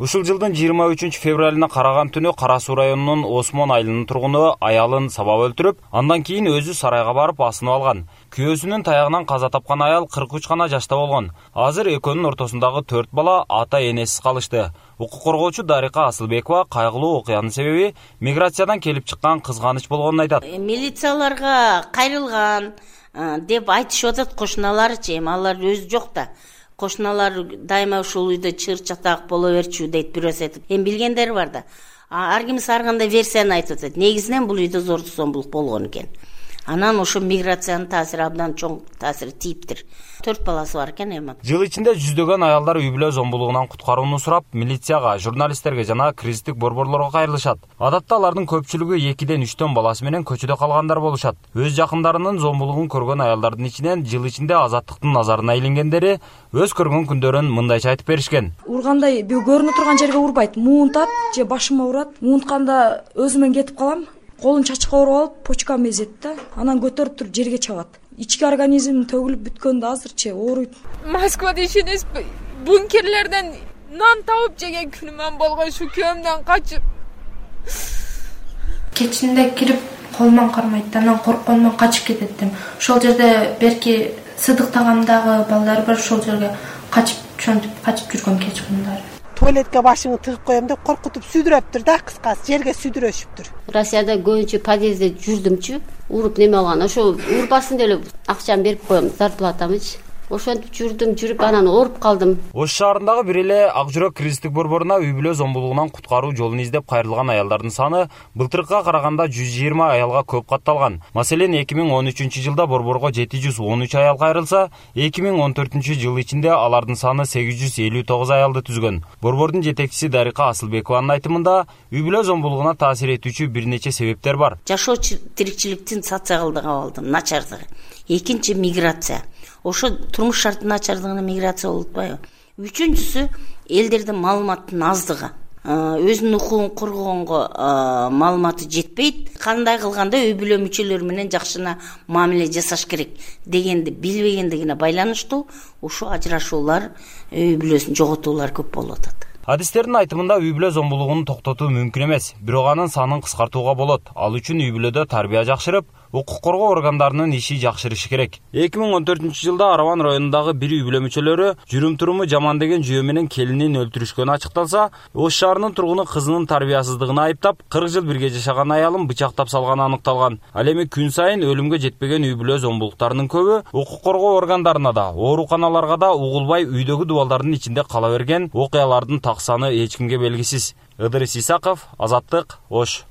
Ушул жылдын 23 февралына караган түнү Кара Суу районунун Осмон айылынын тургуну аялын сабап өлтүрүп, андан кийин өзү сарайга барып асынып алган. Күйөөсүнүн таягынан каза тапкан аял 43 гана жашта болгон. Азыр экөөнүн ортосундагы 4 бала ата энесиз калышты. Укук коргоочу Дарика Асылбекова кайгылуу окуянын себеби миграциядан келип чыккан кызганыч болгонун айтат. Милицияларга кайрылган деп айтышып атат кошуналарчы, эми алар өзү жок да. Кошуналар дайыма ушул үйдө чыр чатак боло берчү дейт, бирөөсү айтып. Эми билгендер бар да. Ар кимиси ар кандай версияны айтып атат. Негизинен бул үйдө зордук зомбулук болгон экен. Анан ошо миграциянын таасири абдан чоң таасири тийиптир. 4 баласы бар экен эми. Жыл ичинде жүздөгөн аялдар үй бүлө зомбулугунан куткарууну сурап, милицияга, журналисттерге жана кризистик борборлорго кайрылышат. Адатта алардын көпчүлүгү 2-3 баласы менен көчөдө калгандар болушат. Өз жакындарынын зомбулугун көргөн аялдардын ичинен жыл ичинде азаттыктын назарына илингендери өз көргөн күндөрүн мындайча айтып беришкен. Ургандай көрүнө турган жерге урбайт, муунтат же башыма урат. Муунтканда өзүмөн кетип калам. Колун чачка уруп алып, почкамды эзет да, анан көтөрүп туруп жерге чабат. Ички организм төгүлүп бүткөндө азырчы ооруйт. Москвада ишенесизби? Бункерлерден нан табып жеген күнүм болгон, ушу күйөөмдөн качып. Кечинде кирип колуман кармайт, анан коркконуман качып кететтим. Ошол жерде берки сыдыктагамдагы балдар бар, ошол жерге качып жүргөм кеч күндөрү. Туалетке башыңы тыгып коем деп коркутуп сүдүрөптүр да, кыскасы жерге сүдүрөшүптүр. Россияда көбүнчө подъездде жүрдүмчү, уруп неме алган. Ошо урбасын деп эле акчамды берип коем, зарплатамычы. Ошентип жүрүп анан ооруп калдым. Ош шаарындагы бир эле Ак жүрөк кризистик борборуна үй бүлө зомбулугунан куткаруу жолун издеп кайрылган аялдардын саны былтыркыга караганда 120 аялга көп катталган. Маселен, 2013 жылда борборго 713 аял кайрылса, 2014 жыл ичинде алардын саны 859 аялды түзгөн. Борбордун жетекчиси Дарика Асылбекованын айтымында, үй бүлө зомбулугуна таасир этүүчү бир нече себептер бар. Жашоо тиричиликтин социалдык абалдын начардыгы. Экинчи миграция. Ошо турмуш шарттын начардыгына миграция болуп атпайбы? Үчүнчүсү элдердин маалыматтын аздыгы. Өзүнүн укугун коргогонго маалыматы жетпейт. Кандай кылганда үй бүлө мүчөлөрү менен жакшына мамиле жасаш керек дегенди билбегендигине байланыштуу ушул ажырашуулар, үй бүлөсүн жоготуулар көп болуп атат. Адистердин айтымында үй бүлө зомбулугун токтотуу мүмкүн эмес, бирок анын санын кыскартууга болот. Ал үчүн үй бүлөдө тарбия жакшырып, укук коргоо органдарынын иши жакшырышы керек. 2014 жылда Араван районундагы бир үй бүлө мүчөлөрү жүрүм-туруму жаман деген жүйө менен келинин өлтүрүшкөнү ачыкталса, Ош шаарынын тургуну кызынын тарбиясыздыгына айыптап, 40 жыл бирге жашаган аялын бычактап салганы аныкталган. Ал эми күн сайын өлүмгө жетпеген үй бүлө зомбулуктарынын көбү укук коргоо органдарына да, ооруканаларга да угулбай үйдөгү дубалдардын ичинде кала берген окуялардын саны эч кимге белгисиз. Ыдырыс Исаков, Азаттык, Ош.